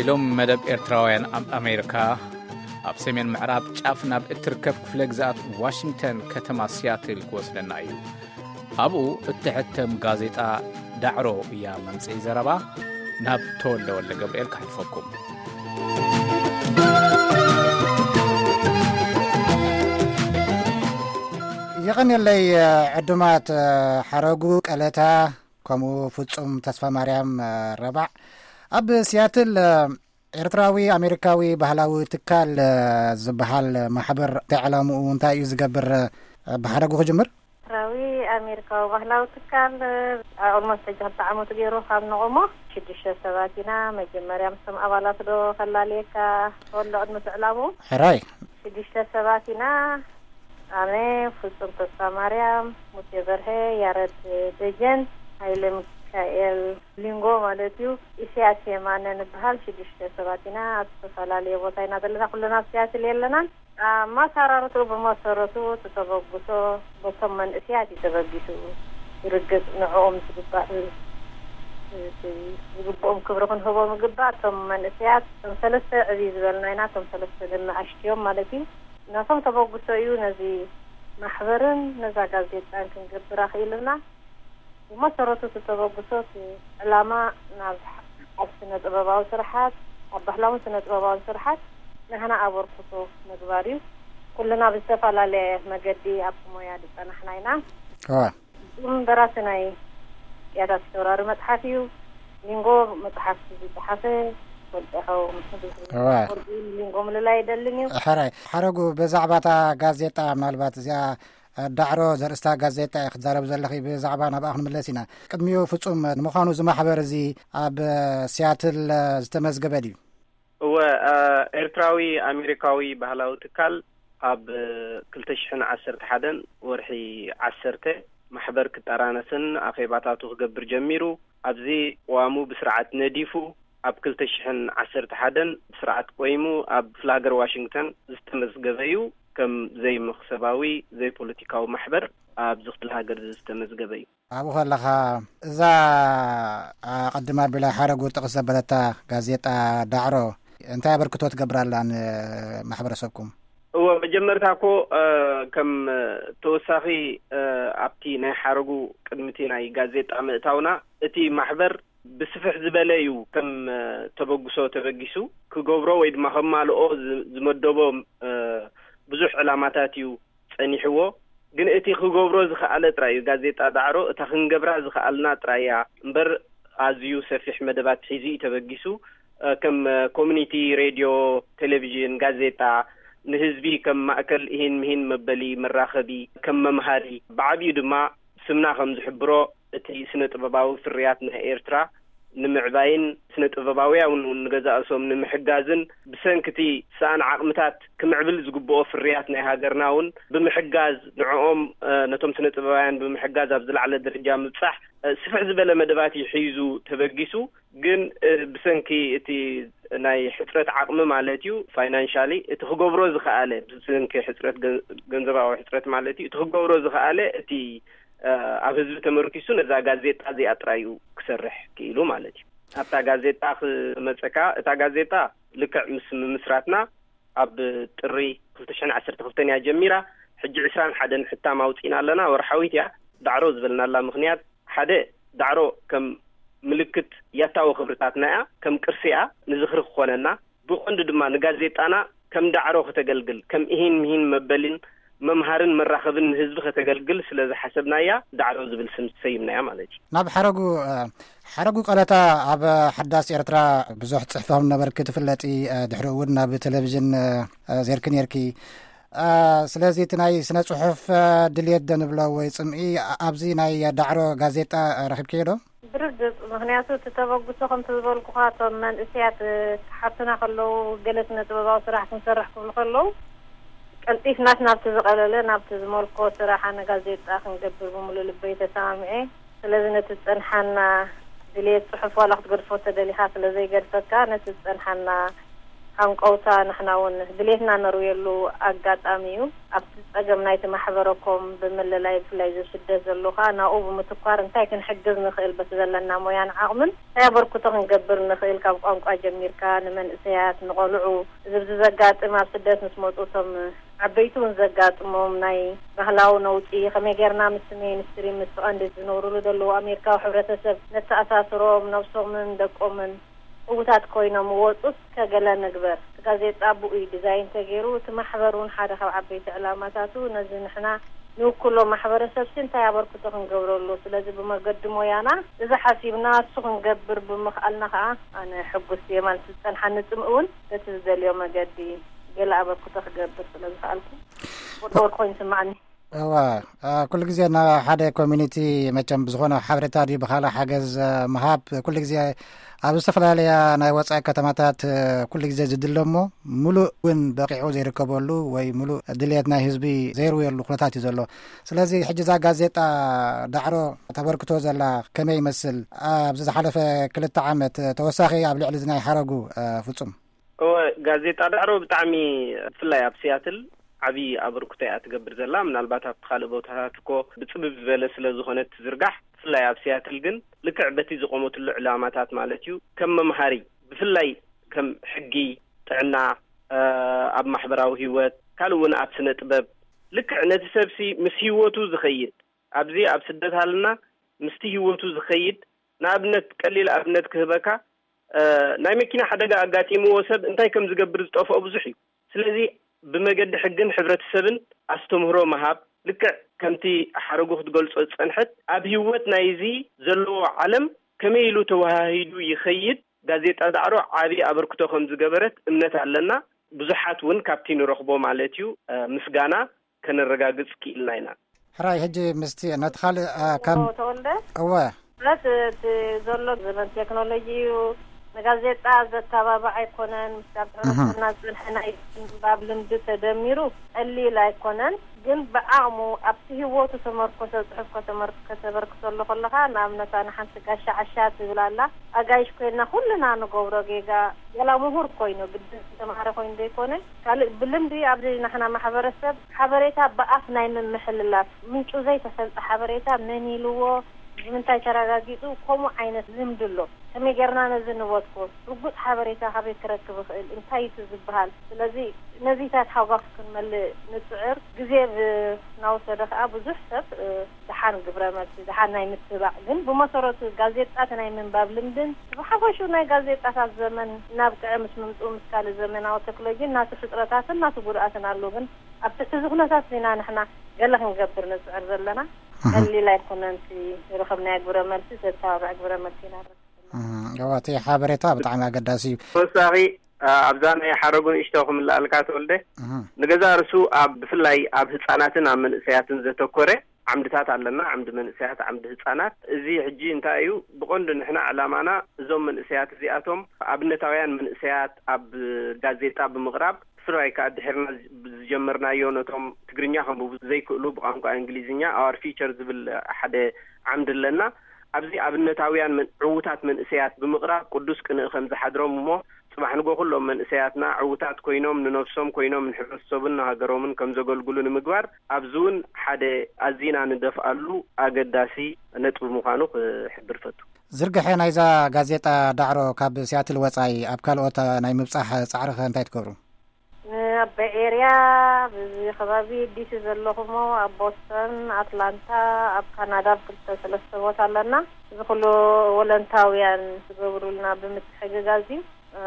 ኢሎም መደብ ኤርትራውያን ኣብ ኣሜሪካ ኣብ ሰሜን ምዕራብ ጫፍ ናብ እትርከብ ክፍለ ግዝኣት ዋሽንግተን ከተማ ሲያትል ክወስደና እዩ። ኣብኡ እትሕተም ጋዜጣ ዳዕሮ እያ መምጽኢ ዘረባ። ናብ ተወልደ ወልደ ገብርኤል ከሕልፈኩም። የቐንየለይ ዕዱማት ሓረጉ ቀለታ ከምኡ ፍጹም ተስፋ ማርያም ረባዕ ኣብ ሲያትል ኤርትራዊ ኣሜሪካዊ ባህላዊ ትካል ዝበሃል ማሕበር እንታይ ዕላምኡ እንታይ እዩ ዝገብር? ብሓረጉ ክጅምር። ኤርትራዊ ኣሜሪካዊ ባህላዊ ትካል ኣልሞስት ሕጂ ክልተ ዓመቱ ገይሩ ካብ ነቆሞ ሽዱሽተ ሰባት ኢና። መጀመርያ ምስቶም ኣባላት ዶ ከላልየካ ተወሎ ቅድሚ ትዕላሙ ሕራይ ሽዱሽተ ሰባት ኢና። ኣነ ፍጹም ተስፋ ማርያም፣ ሙሴ በርሀ፣ ያረድ ደጀን፣ ሃይለ ሚካኤል ሊንጎ ማለት እዩ። ኢሳያስ የማነ ንበሃል ሽዱሽተ ሰባት ኢና። ኣብ ዝተፈላለየ ቦታ ኢና ዘለና። ኩልና ኣብ ሲያትል የለናን። ኣመሰራርትኡ ብመሰረቱ እቲ ተበግሶ በቶም መንእስያት እዩ ተበጊሱ። ይርግጽ ንዕኦም ዝግባእ፣ ዝግብኦም ክብሪ ክንህቦም ይግባእ። እቶም መንእስያት እቶም ሰለስተ ዕብይ ዝበልና ኢና። እቶም ሰለስተ ንኣሽትዮም ማለት እዩ። ናቶም ተበግሶ እዩ ነዚ ማሕበርን ነዛ ጋዜጣን ክንገብር ኣኽኢሉና። ብመሰረቱ እቲ ተበግሶ እቲ ዕላማ ናብ ኣብ ስነ ጥበባዊ ስርሓት፣ ኣብ ባህላውን ስነ ጥበባውን ስርሓት ናህና ኣበርክቶ ምግባር እዩ። ኩልና ብዝተፈላለየ መገዲ ኣብቲ ሞያ ዝጸናሕና ኢና። እዋ። እም በራሲ ናይ ቅያታት ተወራሪ መጽሓፍ እዩ። ሊንጎ መጽሓፍ ዝጸሓፈ ፈልጠኸው እዋ። ሊንጎ ምልላይ ኣይደልን እዩ። ሕራይ ሓረጉ ብዛዕባ እታ ጋዜጣ ምናልባት እዚኣ ዳዕሮ ዘርእስታ ጋዜጣ እየ ክትዛረብ ዘለኺ። ብዛዕባ ናብኣ ክንምለስ ኢና። ቅድሚኡ ፍጹም ንምዃኑ እዚ ማሕበር እዚ ኣብ ሲያትል ዝተመዝገበ ድዩ? እወ፣ እ፣ ኤርትራዊ ኣሜሪካዊ ባህላዊ ትካል ኣብ ክልተ ሽሕን ዓሰርተ ሓደን ወርሒ ዓሰርተ ማሕበር ክጠራነስን ኣኼባታቱ ክገብር ጀሚሩ። ኣብዚ ቅዋሙ ብስርዓት ነዲፉ ኣብ ክልተ ሽሕን ዓሰርተ ሓደን ብስርዓት ቆይሙ ኣብ ክፍለ ሃገር ዋሽንግተን ዝተመዝገበ እዩ። ከም ዘይመኽሰባዊ ዘይፖለቲካዊ ማሕበር ኣብዚ ክፍለ ሃገር ዝተመዝገበ እዩ። ኣብኡ ከለኻ እዛ ኣቐድም ኣቢላ ሓረጉ ጥቕስ ዘበለታ ጋዜጣ ዳዕሮ እንታይ ኣበርክቶ ትገብር ኣላ ንማሕበረሰብኩም? እወ፣ መጀመርታ እኮ፣ እ፣ ከም ተወሳኺ፣ እ፣ ኣብቲ ናይ ሓረጉ ቅድሚቲ ናይ ጋዜጣ ምእታውና እቲ ማሕበር ብስፍሕ ዝበለ እዩ ከም፣ እ፣ ተበግሶ ተበጊሱ ክገብሮ ወይ ድማ ከማልኦ ዝ-፣ ዝመደቦ፣ እ፣ ብዙሕ ዕላማታት እዩ ጸኒሕዎ። ግን እቲ ክገብሮ ዝኸኣለ ጥራይ እዩ። ጋዜጣ ዳዕሮ እታ ክንገብራ ዝኸኣልና ጥራይ እያ እምበር፣ ኣዝዩ ሰፊሕ መደባት ሒዙ እዩ ተበጊሱ። እ፣ ከም፣ እ፣ ኮሚኒቲ ሬድዮ፣ ቴሌቪዥን፣ ጋዜጣ፣ ንህዝቢ ከም ማእከል ኢሂን ምሂን መበሊ መራኸቢ፣ ከም መምሃሪ፣ ብዓቢኡ ድማ ስምና ከም ዝሕብሮ፣ እቲ ስነ ጥበባዊ ፍርያት ናይ ኤርትራ ንምዕባይን ስነ ጥበባውያን እውን ንገዛእሶም ንምሕጋዝን፣ ብሰንኪ እቲ ሰኣን ዓቕምታት ክምዕብል ዝግብኦ ፍርያት ናይ ሃገርና እውን ብምሕጋዝ፣ ንዕኦም፣ እ፣ ነቶም ስነ ጥበባውያን ብምሕጋዝ ኣብ ዝለዓለ ደረጃ ምብጻሕ፣ እ፣ ስፍሕ ዝበለ መደባት እዩ ሒዙ ተበጊሱ። ግን፣ እ፣ ብሰንኪ እቲ ናይ ሕጽረት ዓቕሚ ማለት እዩ፣ ፋይናንሻሊ፣ እቲ ክገብሮ ዝኸኣለ፣ ብሰንኪ ሕጽረት ገን-፣ ገንዘባዊ ሕጽረት ማለት እዩ፣ እቲ ክገብሮ ዝኸኣለ፣ እቲ፣ እ፣ ኣብ ህዝቢ ተመርኪሱ ነዛ ጋዜጣ እዚኣ ጥራይ እዩ ክሰርሕ ክኢሉ ማለት እዩ። ኣብታ ጋዜጣ ክመጸካ፣ እታ ጋዜጣ ልክዕ ምስ ምምስራትና ኣብ ጥሪ ክልተ ሽሕን ዓሰርተ ክልተን እያ ጀሚራ። ሕጂ ዕስራን ሓደን ሕታም ኣውጺእና ኣለና። ወርሓዊት እያ። ዳዕሮ ዝበልናላ ምኽንያት፣ ሓደ፣ ዳዕሮ ከም ምልክት ያታዊ ክብርታትና እያ፣ ከም ቅርሲ እያ፣ ንዝኽሪ ክኾነና። ብቐንዱ ድማ ንጋዜጣና ከም ዳዕሮ ከተገልግል፣ ከም ኢሂን ምሂን መበሊን መምሃርን መራኸብን ንህዝቢ ከተገልግል ስለ ዝሓሰብናያ፣ ዳዕሮ ዝብል ስም ሰይምናያ ማለት እዩ። ናብ ሓረጉ፣ እ፣ ሓረጉ ቀለታ ኣብ ሓዳስ ኤርትራ ብዙሕ ጽሕፊ ከም ነበርኪ ትፍለጢ፣ እ፣ ድሕሪ እውን ናብ ቴሌቪዥን፣ እ፣ እ፣ ዜርኪ ኔርኪ። እ፣ ስለዚ እቲ ናይ ስነ ጽሑፍ፣ እ፣ ድልየት ዶ ንብሎ ወይ ጽምኢ፣ እ፣ ኣብዚ ናይ ዳዕሮ ጋዜጣ፣ እ፣ ረኺብክዮ ዶ? ብርግጽ፣ ምኽንያቱ እቲ ተበግሶ ከምቲ ዝበልኩኻ፣ እቶም መንእስያት፣ እ፣ ክሓቱና ከለዉ፣ ገለ ስነ ጥበባዊ ስራሕ ክንሰርሕ ክብሉ ከለዉ፣ ቀልጢፍናስ ናብቲ ዝቐለለ፣ ናብቲ ዝመልኮ ስራሕ ኣነ ጋዜጣ ክንገብር ብምሉእ ልበይ ተሰማሚዐ። ስለዚ ነቲ ዝጸንሓና ድልየት ጽሑፍ ዋላ ክትገድፎ ተደሊኻ ስለ ዘይገድፈካ፣ ነቲ ዝጸንሓና ሃንቀውታ፣ ንሕና እውን ድሌትና ነርውየሉ ኣጋጣሚ እዩ። ኣብቲ ጸገም ናይቲ ማሕበረኮም ብምልላይ፣ ብፍላይ እዚ ስደት ዘሎ ከኣ ናብኡ ብምትኳር እንታይ ክንሕግዝ ንኽእል፣ በቲ ዘለና ሞያን ዓቕምን እንታይ ኣበርክቶ ክንገብር ንኽእል፣ ካብ ቋንቋ ጀሚርካ ንመንእሰያት፣ ንቖልዑ፣ እዚ ኣብዚ ዘጋጥም፣ ኣብ ስደት ምስ መጹ እቶም ዓበይቲ እውን ዘጋጥሞም ናይ ባህላዊ ነውጺ፣ ከመይ ጌርና ምስ ሜንስትሪም፣ ምስ ቀንዲ ዝነብሩሉ ዘለዉ ኣሜሪካዊ ሕብረተሰብ ነተኣሳስሮም፣ ነብሶምን ደቆምን ዕዉታት ኮይኖም ወጹስ ከገለ ንግበር። እቲ ጋዜጣ ብኡ እዩ ዲዛይን ተገይሩ። እቲ ማሕበር እውን ሓደ ካብ ዓበይቲ ዕላማታቱ ነዚ ንሕና ንውክሎ ማሕበረሰብ ሲ እንታይ ኣበርክቶ ክንገብረሉ። ስለዚ ብመገዲ ሞያና እዚ ሓሲብና እሱ ክንገብር ብምኽኣልና ከዓ ኣነ ሕጉስ እየ ማለት ዝጸንሓኒ ጽምእ እውን በቲ ዝደልዮ መገዲ ገለ ኣበርክቶ ክገብር ስለ ዝኽኣልኩ ቁርቁር ኮይኑ ይስምዓኒ። እዋ፣ አ፣ ኩሉ ግዜ ንሓደ ኮሚኒቲ መቸም ብዝኾነ ሓበሬታ ድዩ ብኻልእ ሓገዝ፣ አ፣ ምሃብ ኩሉ ግዜ ኣብ ዝተፈላለያ ናይ ወጻኢ ከተማታት፣ አ፣ ኩሉ ግዜ ዝድለ እሞ፣ ሙሉእ እውን በቂዑ ዘይርከበሉ ወይ ሙሉእ ድልየት ናይ ህዝቢ ዘይርውየሉ ኩነታት እዩ ዘሎ። ስለዚ ሕጂ እዛ ጋዜጣ ዳዕሮ ተበርክቶ ዘላ ከመይ ይመስል? ኣብዚ ዝሓለፈ ክልተ ዓመት ተወሳኺ ኣብ ልዕሊ እዚ ናይ ሓረጉ፣ አ፣ ፍጹም። እወ፣ ጋዜጣ ዳዕሮ ብጣዕሚ፣ ብፍላይ ኣብ ሲያትል ዓብዪ ኣበርክቶ እያ ትገብር ዘላ። ምናልባት ኣብቲ ካልእ ቦታታት እኮ ብጽብብ ዝበለ ስለ ዝኾነ ትዝርጋሕ፣ ብፍላይ ኣብ ሲያትል ግን ልክዕ በቲ ዝቆመትሉ ዕላማታት ማለት እዩ፣ ከም መምሃሪ፣ ብፍላይ ከም ሕጊ፣ ጥዕና፣ እ፣ ኣብ ማሕበራዊ ህይወት፣ ካልእ እውን ኣብ ስነ ጥበብ፣ ልክዕ ነቲ ሰብሲ ምስ ህይወቱ ዝኸይድ፣ ኣብዚ ኣብ ስደት ሃልና ምስቲ ህይወቱ ዝኸይድ፣ ንኣብነት፣ ቀሊል ኣብነት ክህበካ፣ እ፣ ናይ መኪና ሓደጋ ኣጋጢምዎ ሰብ እንታይ ከም ዝገብር ዝጠፍኦ ብዙሕ እዩ። ስለዚ ብመገዲ ሕግን ሕብረተሰብን ኣስተምህሮ ምሃብ፣ ልክዕ ከምቲ ሓረጉ ክትገልጾ ዝጸንሐት፣ ኣብ ህይወት ናይዚ ዘለዎ ዓለም ከመይ ኢሉ ተወሃሂዱ ይኸይድ፣ ጋዜጣ ዳዕሮ ዓቢ ኣበርክቶ ከም ዝገበረት እምነት ኣለና። ብዙሓት እውን ካብቲ ንረኽቦ ማለት እዩ፣ እ፣ ምስጋና ከነረጋግጽ ክኢልና ኢና። ሕራይ፣ ሕጂ ምስቲ ነቲ ካልእ፣ እ፣ ካብ ተወልደ? እወ። ማለት እቲ ዘሎ ዘመን ቴክኖሎጂ እዩ። ንጋዜጣ ዘተባብዕ ኣይኮነን። ምስ ካብ እህ። ሕብረተሰብና ዝጸንሐ ናይ ምንባብ ልምዲ ተደሚሩ ቀሊል ኣይኮነን። ግን ብዓቕሙ ኣብቲ ህይወቱ ተመርኮሰ ጽሑፍ ከተመር-፣ ከተበርክተሉ ከለኻ፣ ንኣብነት ኣነ ሓንቲ ጋሻ ዓሻ ትብል ኣላ። ኣጋይሽ ኮይንና ኩልና ንገብሮ ጌጋ፣ ገላ ምሁር ኮይኑ፣ ግድን ዝተማሃረ ኮይኑ ዘይኮነ፣ ካልእ ብልምዲ ኣብዚ ናሕና ማሕበረሰብ ሓበሬታ ብኣፍ ናይ ምምሕልላፍ፣ ምንጩ ዘይተፈልጠ ሓበሬታ መን ኢልዎ፣ ብምንታይ ተረጋጊጹ፣ ከምኡ ዓይነት ልምዲ ኣሎ። ከመይ ጌርና ነዚ ንበትኮ? ርጉጽ ሓበሬታ ካበይ ክረክብ እኽእል? እንታይ እዩ እቲ ዝበሃል? ስለዚ ነዚታት ሓጓፍ ክንመልእ ንጽዕር። ግዜ ብ-፣ እናወሰደ ከኣ ብዙሕ ሰብ፣ እ፣ ደሓን ግብረ መልሲ፣ ደሓን ናይ ምትባዕ፣ ግን ብመሰረቱ ጋዜጣ ናይ ምንባብ ልምድን ብሓፈሹ ናይ ጋዜጣታት ዘመን እናብቅዐ ምስ ምምጽኡ ምስ ካልእ ዘመናዊ ቴክኖሎጂ ናቱ ሕጽረታትን ናቱ ጉድኣትን ኣሎ። ግን ኣብ ትሕቲ እዚ ኩነታት ዚና ንሕና ገለ ክንገብር ንጽዕር ዘለና። እህ። ቀሊል ኣይኮነን እቲ ዝረኸብናዮ ግብረ መልሲ፣ ዘተባብዕ ግብረ መልሲ ኢና ንረክብ ዘለና። እህ፣ እዋ፣ እቲ ሓበሬታ ብጣዕሚ ኣገዳሲ እዩ። ተወሳኺ፣ ኣ፣ ኣብዛ ናይ ሓረጉ ንእሽቶ ክምልኣልካ ተወልደ፣ እህ። ንገዛ ርሱ ኣብ፣ ብፍላይ ኣብ ህጻናትን ኣብ መንእሰያትን ዘተኮረ ዓምድታት ኣለና፣ ዓምዲ መንእሰያት፣ ዓምዲ ህጻናት። እዚ ሕጂ እንታይ እዩ? ብቐንዱ ንሕና ዕላማና እዞም መንእሰያት እዚኣቶም ኣብነታውያን መንእሰያት ኣብ ጋዜጣ ብምቕራብ፣ ብፍላይ ከኣ ድሒርና ዝ-፣ ዝጀመርናዮ ነቶም ትግርኛ ከንብቡ ዘይክእሉ ብቋንቋ እንግሊዝኛ Our Future ዝብል ሓደ ዓምዲ ኣለና። ኣብዚ ኣብነታውያን መን-፣ ዕዉታት መንእሰያት ብምቕራብ ቅዱስ ቅንኢ ከም ዝሓድሮም እሞ ጽባሕ ንጎ ኩሎም መንእሰያትና ዕዉታት ኮይኖም ንነብሶም ኮይኖም ንሕብረተሰቡን ንሃገሮምን ከም ዘገልግሉ ንምግባር ኣብዚ እውን ሓደ ኣዚና ንደፍኣሉ ኣገዳሲ ነጥቢ ምዃኑ ክሕብር ፈቱ። ዝርግሐ ናይዛ ጋዜጣ ዳዕሮ ካብ ሲያትል ወጻኢ ኣብ ካልኦት ናይ ምብጻሕ ጻዕሪ ከ እንታይ ትገብሩ? ኣብ ቤይ ኤርያ፣ ኣብዚ ከባቢ ዲሲ ዘለኹሞ፣ ኣብ ቦስተን፣ ኣትላንታ፣ ኣብ ካናዳ ኣብ ክልተ ሰለስተ ቦታ ኣለና። እዚ ኩሉ ወለንታውያን ዝገብሩልና ብምትሕግጋዝ እዩ።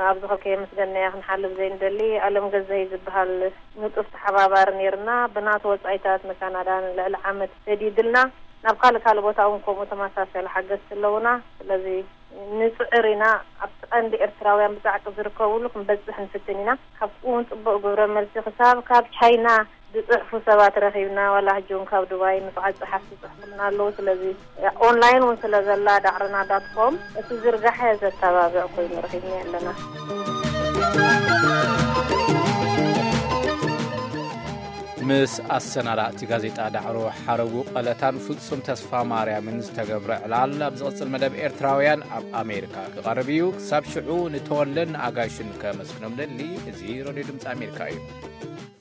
ኣብዚ ከ ከየመስገንናዮ ክንሓልፍ ዘይንደሊ፣ ኣለም ገዛኢ ዝበሃል ንጡፍ ተሓባባሪ ነይርና። ብናቱ ወጻኢታት ንካናዳ ንልዕሊ ዓመት ሰዲድልና። ናብ ካልእ ካልእ ቦታ እውን ከምኡ ተመሳሳሊ ሓገዝቲ ኣለውና። ስለዚ ንጽዕር ኢና። ኣብቲ ቀንዲ ኤርትራውያን ብጻዕቂ ዝርከብሉ ክንበጽሕ ንፍትን ኢና። ካብኡ እውን ጽቡቕ ግብረ መልሲ ክሳብ ካብ ቻይና ዝጽሕፉ ሰባት ረኺብና። ዋላ ሕጂ እውን ካብ ዱባይ ንፉዓት ጸሓፍቲ ይጽሕፉልና ኣለዉ። ስለዚ ኦንላይን እውን ስለ ዘላ ዳዕሮና ዳት ኮም እቲ ዝርጋሐ ዘተባብዕ ኮይኑ ረኺብና ኣለና። ምስ ኣሰናዳእቲ ጋዜጣ ዳዕሮ ሓረጉ ቀለታን ፍጹም ተስፋ ማርያምን ዝተገብረ ዕላል ኣብ ዝቕጽል መደብ ኤርትራውያን ኣብ ኣሜሪካ ክቐርብ እዩ። ክሳብ ሽዑ ንተወለን ኣጋይሽን ከመስግኖም ደሊ። እዚ ሬድዮ ድምፂ ኣሜሪካ እዩ።